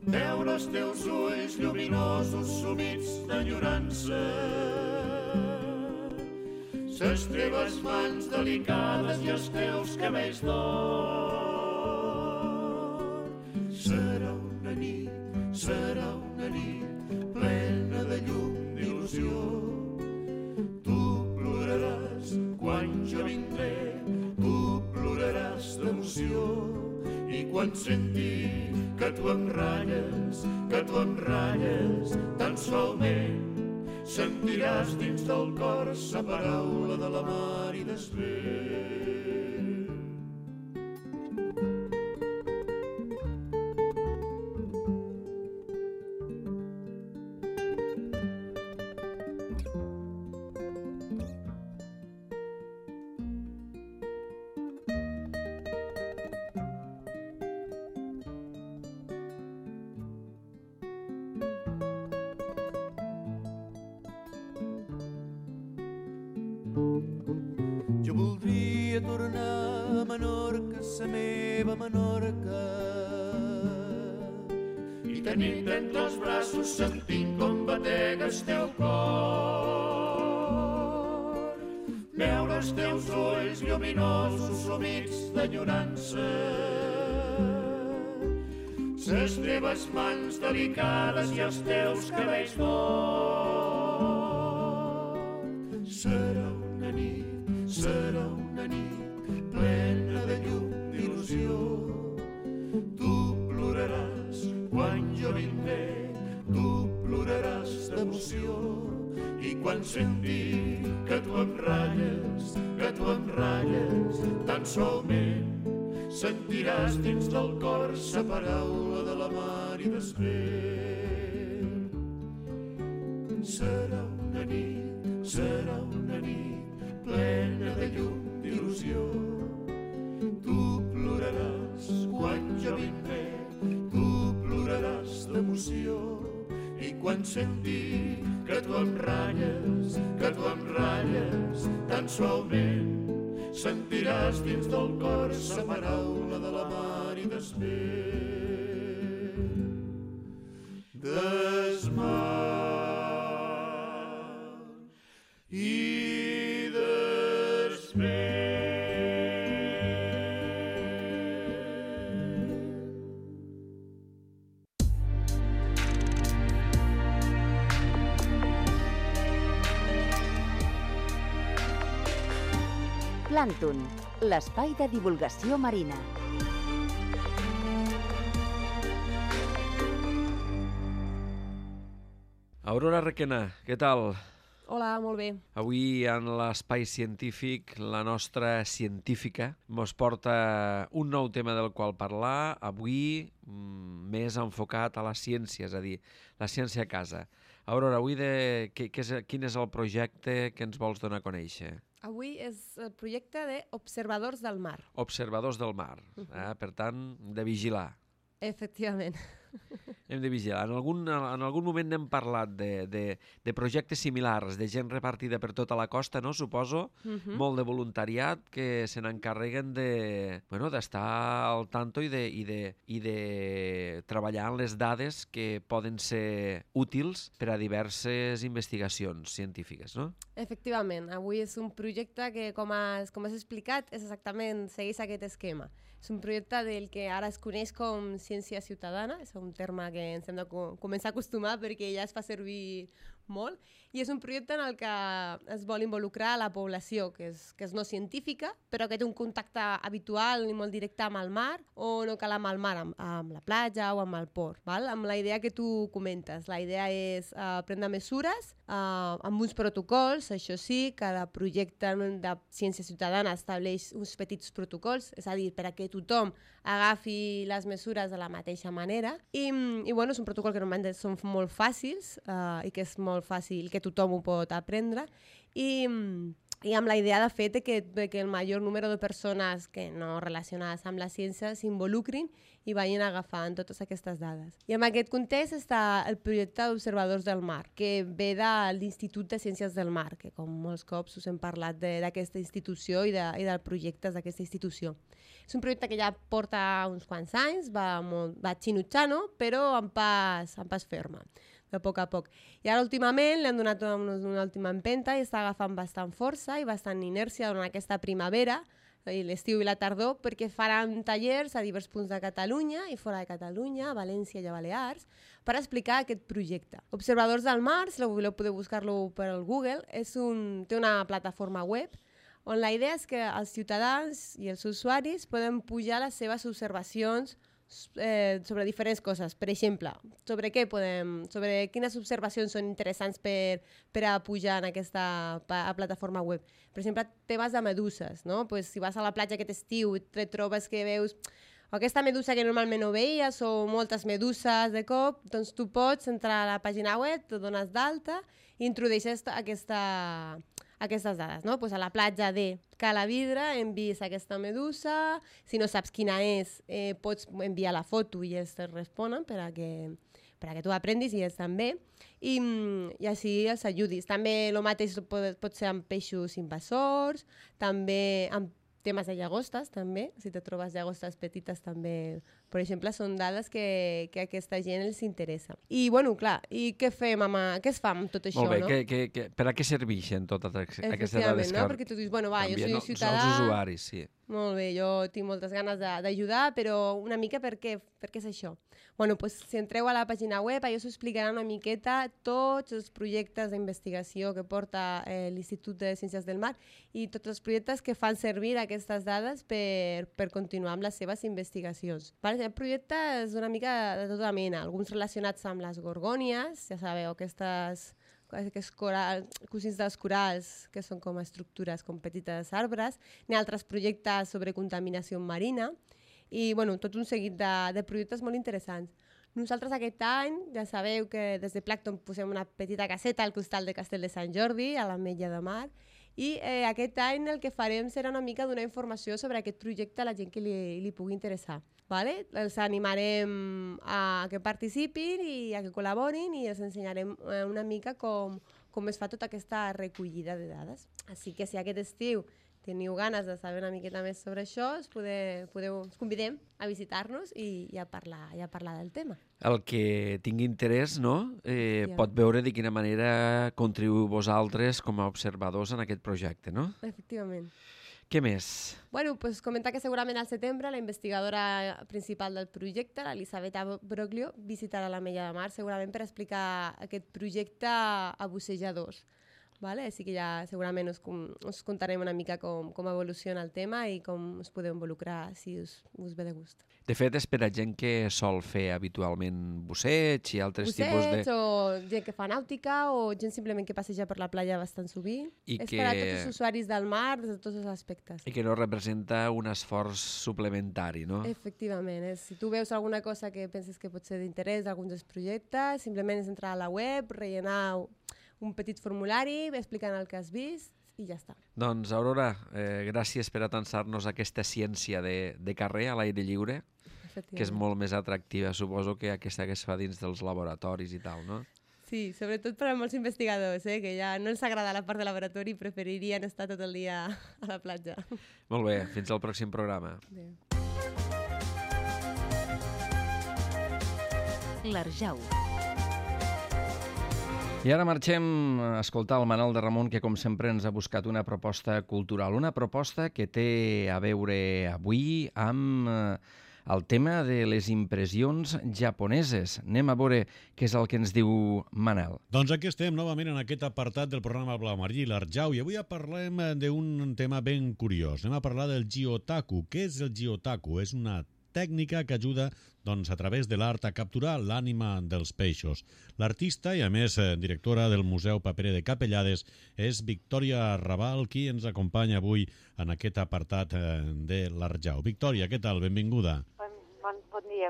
veure els teus ulls lluminosos sumits d'enyorança, ses teves mans delicades i els teus cabells d'or. Serà una nit plena de llum d'il·lusió. Tu ploraràs quan jo vindré, tu ploraràs d'emoció, i quan senti que tu em ratlles, tan solament sentiràs dins del cor sa paraula de la mar i des vent. Jo voldria tornar a Menorca, sa meva Menorca, i tenir-te entre els braços sentint com batega el teu cor, veure els teus ulls lluminosos sumits d'enyorança, ses teves mans delicades i els teus cabells d'or. Serà una nit plena de llum d'il·lusió. Tu ploraràs quan jo vindré, tu ploraràs d'emoció, i quan sentir que tu em ratlles, tan solament sentiràs dins del cor sa paraula de la mar i des vent. Serà una nit plena de llum d'il·lusió. Tu ploraràs quan jo vindré, tu ploraràs d'emoció, i quan sentir que tu em ratlles, tan solament sentiràs dins del cor sa paraula de la mar i des vent. Des mar i des vent. Plàncton, l'espai de divulgació marina. Aurora Requena, què tal? Hola, molt bé. Avui en l'Espai Científic, la nostra científica mos porta un nou tema del qual parlar, avui més enfocat a la ciència, és a dir, la ciència a casa. Aurora, avui quin és el projecte que ens vols donar a conèixer? Avui és el projecte d'Observadors del Mar. Observadors del mar, per tant, de vigilar. Efectivament. Hem de vigilar. En algun moment n'hem parlat de projectes similars, de gent repartida per tota la costa, no? Suposo, molt de voluntariat que se n'encarreguen d'estar al tanto i de treballar en les dades que poden ser útils per a diverses investigacions científiques, no? Efectivament. Avui és un projecte que, com has explicat, és exactament, segueix aquest esquema. És un projecte del que ara es coneix com ciència ciutadana, és un terme que ens hem de començar a acostumar perquè ja es fa servir molt, i és un projecte en el que es vol involucrar la població, que és no científica, però que té un contacte habitual i molt directe amb el mar, o no cal amb el mar, amb la platja o amb el port, val? Amb la idea que tu comentes. La idea és prendre mesures amb uns protocols, això sí, cada projecte de ciència ciutadana estableix uns petits protocols, és a dir, per a que tothom agafi les mesures de la mateixa manera, i bueno, és un protocol que normalment són molt fàcils i que és molt fàcil, que tothom ho pot aprendre, i amb la idea de fet que el major número de persones que no relacionades amb la ciència s'involucrin i vagin agafant totes aquestes dades. I en aquest context està el projecte d'Observadors del Mar, que ve de l'Institut de Ciències del Mar, que com molts cops us hem parlat d'aquesta institució i dels projectes d'aquesta institució. És un projecte que ja porta uns quants anys, va xinutxant, però en pas ferma, de poc a poc. I ara últimament li han donat una última empenta i està agafant bastant força i bastant inèrcia durant aquesta primavera, l'estiu i la tardor, perquè faran tallers a diversos punts de Catalunya i fora de Catalunya, a València i a Balears, per explicar aquest projecte. Observadors del Mar, si voleu podeu buscar-lo per al Google, té una plataforma web on la idea és que els ciutadans i els usuaris poden pujar les seves observacions sobre diferents coses. Per exemple, sobre quines observacions són interessants per a pujar en aquesta plataforma web. Per exemple, temes de meduses, no? Pues, si vas a la platja aquest estiu i et trobes que veus aquesta medusa que normalment no veies o moltes meduses de cop, doncs tu pots entrar a la pàgina web, te dones d'alta i introdueixes aquestes dades, no? Pues a la platja de Cala Vidre hem vist aquesta medusa, si no saps quina és, pots enviar la foto i ells te responen per a que tu aprendis i ells també, i així els ajudis. També el mateix pot ser amb peixos invasors, també amb temes de llagostes, també, si te trobes llagostes petites també, per exemple, són dades que a aquesta gent els interessa. I, bueno, clar, i què fem què es fa amb tot això, molt bé, no? Per a què serveixen totes aquestes dades? No? Perquè tu dius, bueno, va, jo soy ciutadà... Els usuaris, sí. Molt bé, jo tinc moltes ganes d'ajudar, però una mica per què és això? Bueno, doncs si entreu a la pàgina web, allò s'ho explicarà una miqueta tots els projectes d'investigació que porta l'Institut de Ciències del Mar i tots els projectes que fan servir aquestes dades per continuar amb les seves investigacions. El projecte és una mica de tota mena, alguns relacionats amb les gorgònies, ja sabeu, aquests cosins dels corals, que són com estructures, com petites arbres, n'hi ha altres projectes sobre contaminació marina, i bueno, tot un seguit de projectes molt interessants. Nosaltres aquest any, ja sabeu que des de Plàncton posem una petita caseta al costat de Castell de Sant Jordi, a l'Ametlla de Mar, i aquest any el que farem serà una mica donar informació sobre aquest projecte a la gent que li pugui interessar. Vale? Els animarem a que participin i a que col·laborin i els ensenyarem una mica com es fa tota aquesta recollida de dades. Així que si aquest estiu teniu ganes de saber una miqueta més sobre això, us convidem a visitar-nos i a parlar del tema. El que tingui interès, no? Pot veure de quina manera contribuïu vosaltres com a observadors en aquest projecte, no? Efectivament. Què més? Bueno, pues comentar que segurament al setembre la investigadora principal del projecte, l'Elisabetta Broglio, visitarà l'Ametlla de Mar segurament per explicar aquest projecte a bussejadors. vale? Així que ja segurament us contarem una mica com evoluciona el tema i com us podeu involucrar si us ve de gust. De fet, és per a gent que sol fer habitualment busseig i altres tipus de... Busseig o gent que fa nàutica o gent simplement que passeja per la platja bastant sovint. És per a tots els usuaris del mar, des de tots els aspectes. I que no representa un esforç suplementari, no? Efectivament. Si tu veus alguna cosa que penses que pot ser d'interès d'alguns dels projectes, simplement és entrar a la web, rellenar un petit formulari, explicant el que has vist i ja està. Doncs, Aurora, gràcies per atansar-nos aquesta ciència de carrer a l'aire lliure, que és molt més atractiva, suposo, que aquesta que es fa dins dels laboratoris i tal, no? Sí, sobretot per a molts investigadors, que ja no els agrada la part de laboratori i preferirien estar tot el dia a la platja. Molt bé, fins al pròxim programa. Adéu. L'Arjau. I ara marxem a escoltar el Manel de Ramon, que com sempre ens ha buscat una proposta cultural, una proposta que té a veure avui amb el tema de les impressions japoneses. Anem a veure què és el que ens diu Manel. Doncs aquí estem novament en aquest apartat del programa Blau Marí, l'Arjau, i avui parlem d'un tema ben curiós. Anem a parlar del Gyotaku. Què és el Gyotaku? És una tècnica que ajuda a través de l'art a capturar l'ànima dels peixos. L'artista i, a més, directora del Museu Paperet de Capellades és Victòria Raval, qui ens acompanya avui en aquest apartat de l'Arjau. Victòria, què tal? Benvinguda.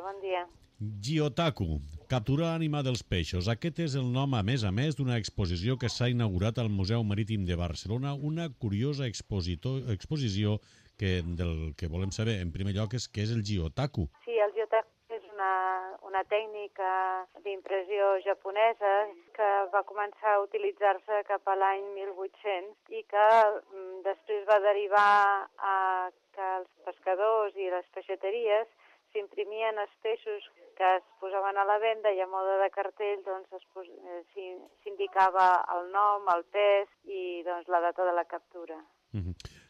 Bon dia. Gyotaku, capturar l'ànima dels peixos. Aquest és el nom, a més, d'una exposició que s'ha inaugurat al Museu Marítim de Barcelona, una curiosa exposició del que volem saber, en primer lloc, és què és el Gyotaku. Sí, el Gyotaku és una tècnica d'impressió japonesa que va començar a utilitzar-se cap a l'any 1800 i que després va derivar a que els pescadors i les peixateries s'imprimien els peixos que es posaven a la venda i a mode de cartell s'indicava el nom, el pes i la data de la captura.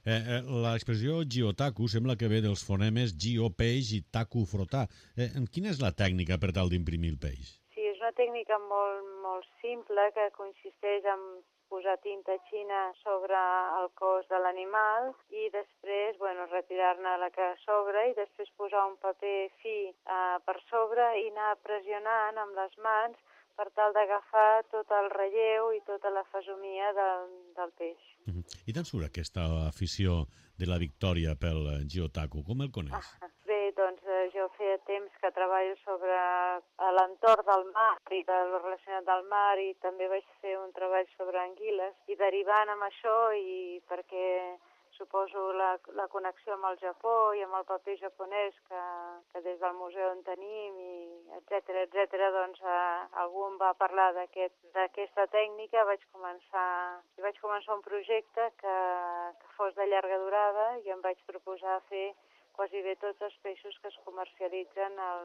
L'expressió Gyotaku sembla que ve dels fonemes Gyo, peix, i Taku, frotar. Quina és la tècnica per tal d'imprimir el peix? Sí, és una tècnica molt simple que consisteix en posar tinta xina sobre el cos de l'animal i després retirar-ne la que sobra i després posar un paper fi per sobre i anar pressionant amb les mans per tal d'agafar tot el relleu i tota la fesomia del peix. I d'on surt aquesta afició de la Victòria pel Gyotaku? Com el coneix? Bé, doncs jo feia temps que treballo sobre l'entorn del mar i del relacionat del mar i també vaig fer un treball sobre anguiles i derivant amb això i perquè suposo la connexió amb el Japó i amb el paper japonès que des del museu en tenim i etcètera, doncs algú em va parlar d'aquesta tècnica, vaig començar un projecte que fos de llarga durada i em vaig proposar fer quasi bé tots els peixos que es comercialitzen al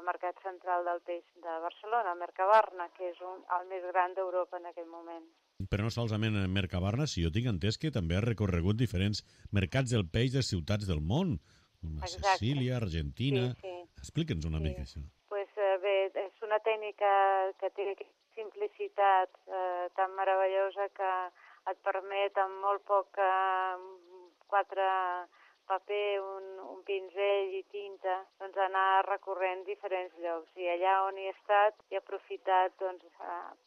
Mercat Central del Peix de Barcelona, Mercabarna, que és el més gran d'Europa en aquell moment. Però no solament Mercabarna, si jo tinc entès que també ha recorregut diferents mercats del peix de ciutats del món, com Sicília, Argentina... Sí. Explica'ns una mica això. Bé, és una tècnica que té simplicitat tan meravellosa que et permet amb molt poc 4 paper, un pinzell i tinta, anar recorrent diferents llocs. I allà on he estat he aprofitat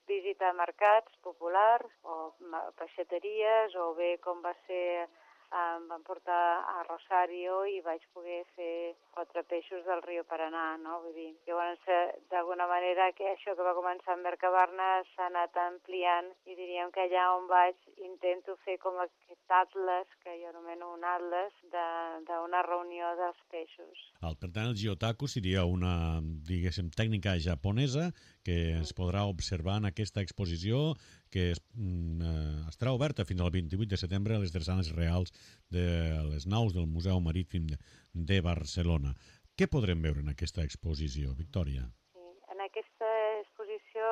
visitar mercats populars o peixateries o bé com va ser, em van portar a Rosario i vaig poder fer 4 peixos del riu Paranà, no? Vull dir, llavors, d'alguna manera, que això que va començar a Mercabarna s'ha anat ampliant i diríem que allà on vaig intento fer com aquest atles, que jo anomeno un atles, d'una reunió dels peixos. Per tant, el Gyotaku seria una, diguéssim, tècnica japonesa que es podrà observar en aquesta exposició que estarà oberta fins al 28 de setembre a les drassanes reals de les naus del Museu Marítim de Barcelona. Què podrem veure en aquesta exposició, Victòria? Sí, en aquesta exposició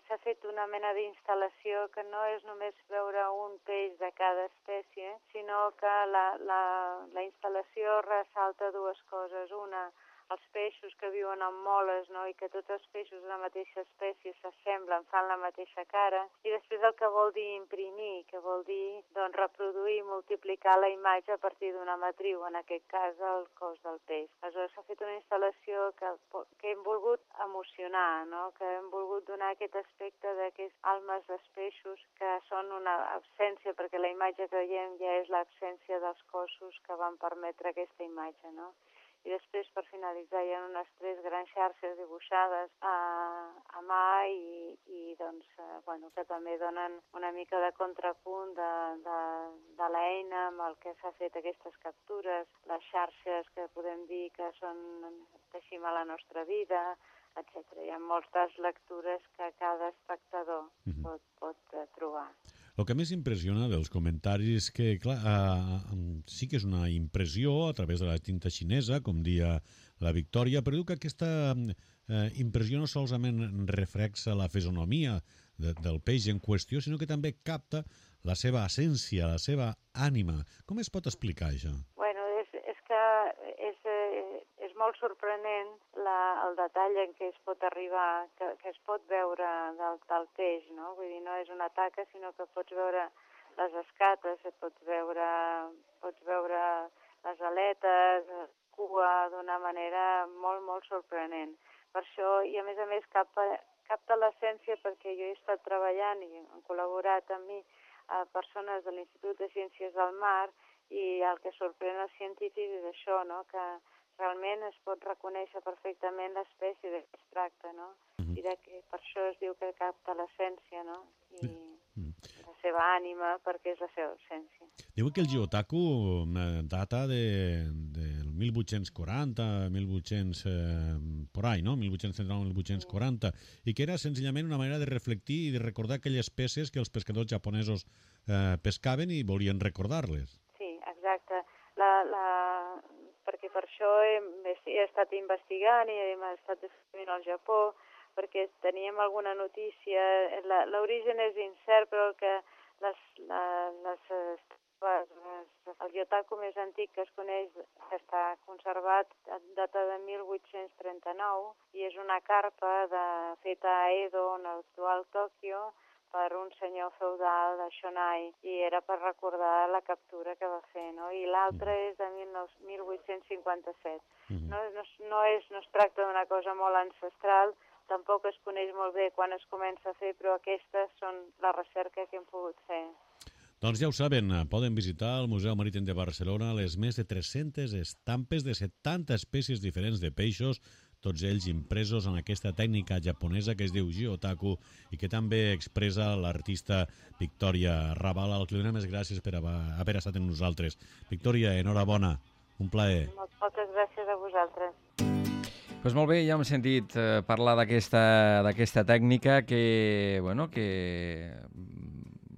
s'ha fet una mena d'instal·lació que no és només veure un peix de cada espècie, sinó que la instal·lació ressalta 2 coses. Una, els peixos que viuen en moles, no? I que tots els peixos de la mateixa espècie s'assemblen, fan la mateixa cara, i després el que vol dir imprimir, que vol dir doncs, reproduir i multiplicar la imatge a partir d'una matriu, en aquest cas el cos del peix. Aleshores s'ha fet una instal·lació que hem volgut emocionar, no? Que hem volgut donar aquest aspecte d'aquestes almes dels peixos que són una absència, perquè la imatge que veiem ja és l'absència dels cossos que van permetre aquesta imatge, no? I després, per finalitzar, hi ha unes 3 grans xarxes dibuixades a mà i doncs, bueno, que també donen una mica de contrapunt de l'eina amb el que s'ha fet aquestes captures, les xarxes que podem dir que són teixim a la nostra vida, etc. Hi ha moltes lectures que cada espectador pot trobar. El que més impressiona dels comentaris que, clar, sí que és una impressió a través de la tinta xinesa, com dia la Victòria, però diu que aquesta impressió no solament reflexa la fisonomia del peix en qüestió, sinó que també capta la seva essència, la seva ànima. Com es pot explicar això? Bueno, és que és molt sorprenent el detall en què es pot arribar, que es pot veure del peix, no? Vull dir, no és una taca, sinó que pots veure les escates, pots veure les aletes, cua, d'una manera molt, molt sorprenent. Per això, i a més capta l'essència, perquè jo he estat treballant i han col·laborat amb mi a persones de l'Institut de Ciències del Mar, i el que sorprèn els científics és això, no? Que realment es pot reconèixer perfectament l'espècie de què es tracta, no? I per això es diu que capta l'essència, no? I la seva ànima, perquè és la seva essència. Diu que el Giotaku data del 1840, 1800, por ahí, no? 1839-1840, i que era senzillament una manera de reflectir i de recordar aquelles peces que els pescadors japonesos pescaven i volien recordar-les. Sí, exacte. Perquè per això he estat investigant i hem estat escrivint al Japó, perquè teníem alguna notícia. L'origen és incert, però el Giotaku més antic que es coneix, que està conservat, data de 1839, i és una carpa feta a Edo, en l'actual Tòquio, per un senyor feudal de Shonai, i era per recordar la captura que va fer, no? I l'altre és de 1857. No es tracta d'una cosa molt ancestral, tampoc es coneix molt bé quan es comença a fer, però aquestes són la recerca que hem pogut fer. Doncs ja ho saben, poden visitar el Museu Marítim de Barcelona les més de 300 estampes de 70 espècies diferents de peixos, tots ells impresos en aquesta tècnica japonesa que es diu Giotaku i que també expressa l'artista Victòria Raval, al que li donem les gràcies per haver estat amb nosaltres. Victòria, enhorabona, un plaer. Moltes gràcies a vosaltres. Pues molt bé, ja hem sentit parlar d'aquesta tècnica que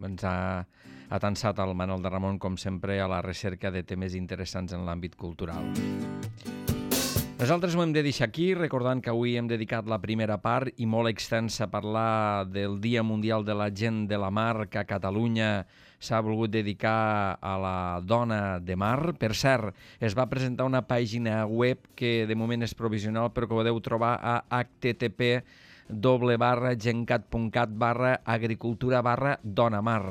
ens ha atansat el Manol de Ramon, com sempre, a la recerca de temes interessants en l'àmbit cultural. Nosaltres ho hem de deixar aquí, recordant que avui hem dedicat la primera part i molt extensa a parlar del Dia Mundial de la Gent de la Mar, que a Catalunya s'ha volgut dedicar a la dona de mar. Per cert, es va presentar una pàgina web que de moment és provisional, però que podeu trobar a http://gencat.cat/agricultura/donamar.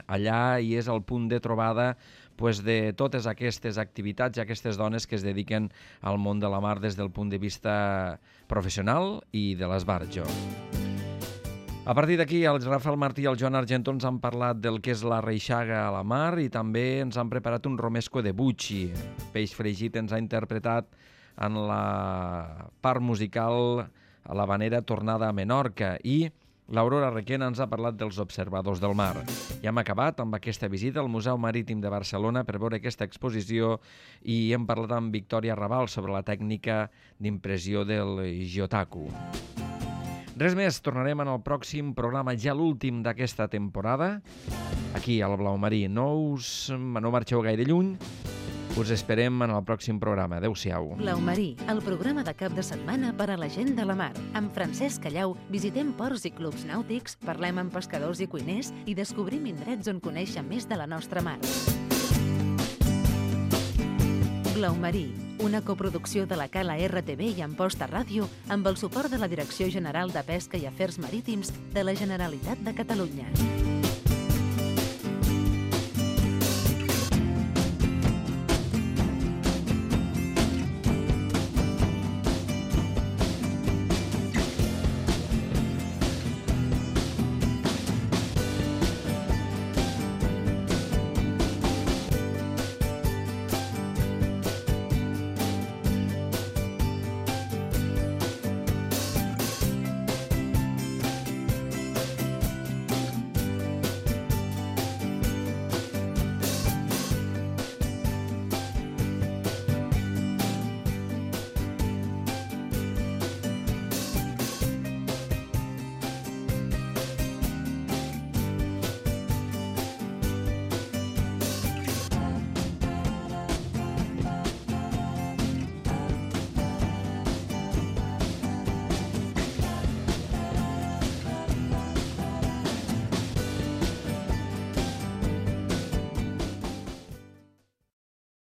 Allà hi és el punt de trobada de totes aquestes activitats i aquestes dones que es dediquen al món de la mar des del punt de vista professional i de l'esbarjo. A partir d'aquí, el Rafael Martí i el Joan Argentó ens han parlat del que és la reixaga a la mar i també ens han preparat un romesco de bucci. Peix fregit ens ha interpretat en la part musical a l'havanera Tornada a Menorca i l'Aurora Requena ens ha parlat dels observadors del mar. Ja hem acabat amb aquesta visita al Museu Marítim de Barcelona per veure aquesta exposició i hem parlat amb Victòria Raval sobre la tècnica d'impressió del Giotaku. Res més, tornarem en el pròxim programa, ja l'últim d'aquesta temporada, aquí al Blau Marí. No marxeu gaire lluny, us esperem en el pròxim programa. Adéu-siau. Blau Marí, el programa de cap de setmana per a la gent de la mar. Amb Francesc Callau visitem ports i clubs nàutics, parlem amb pescadors i cuiners i descobrim indrets on conèixer més de la nostra mar. Blau Marí, una coproducció de la Cala RTV i Amposta Ràdio amb el suport de la Direcció General de Pesca i Afers Marítims de la Generalitat de Catalunya.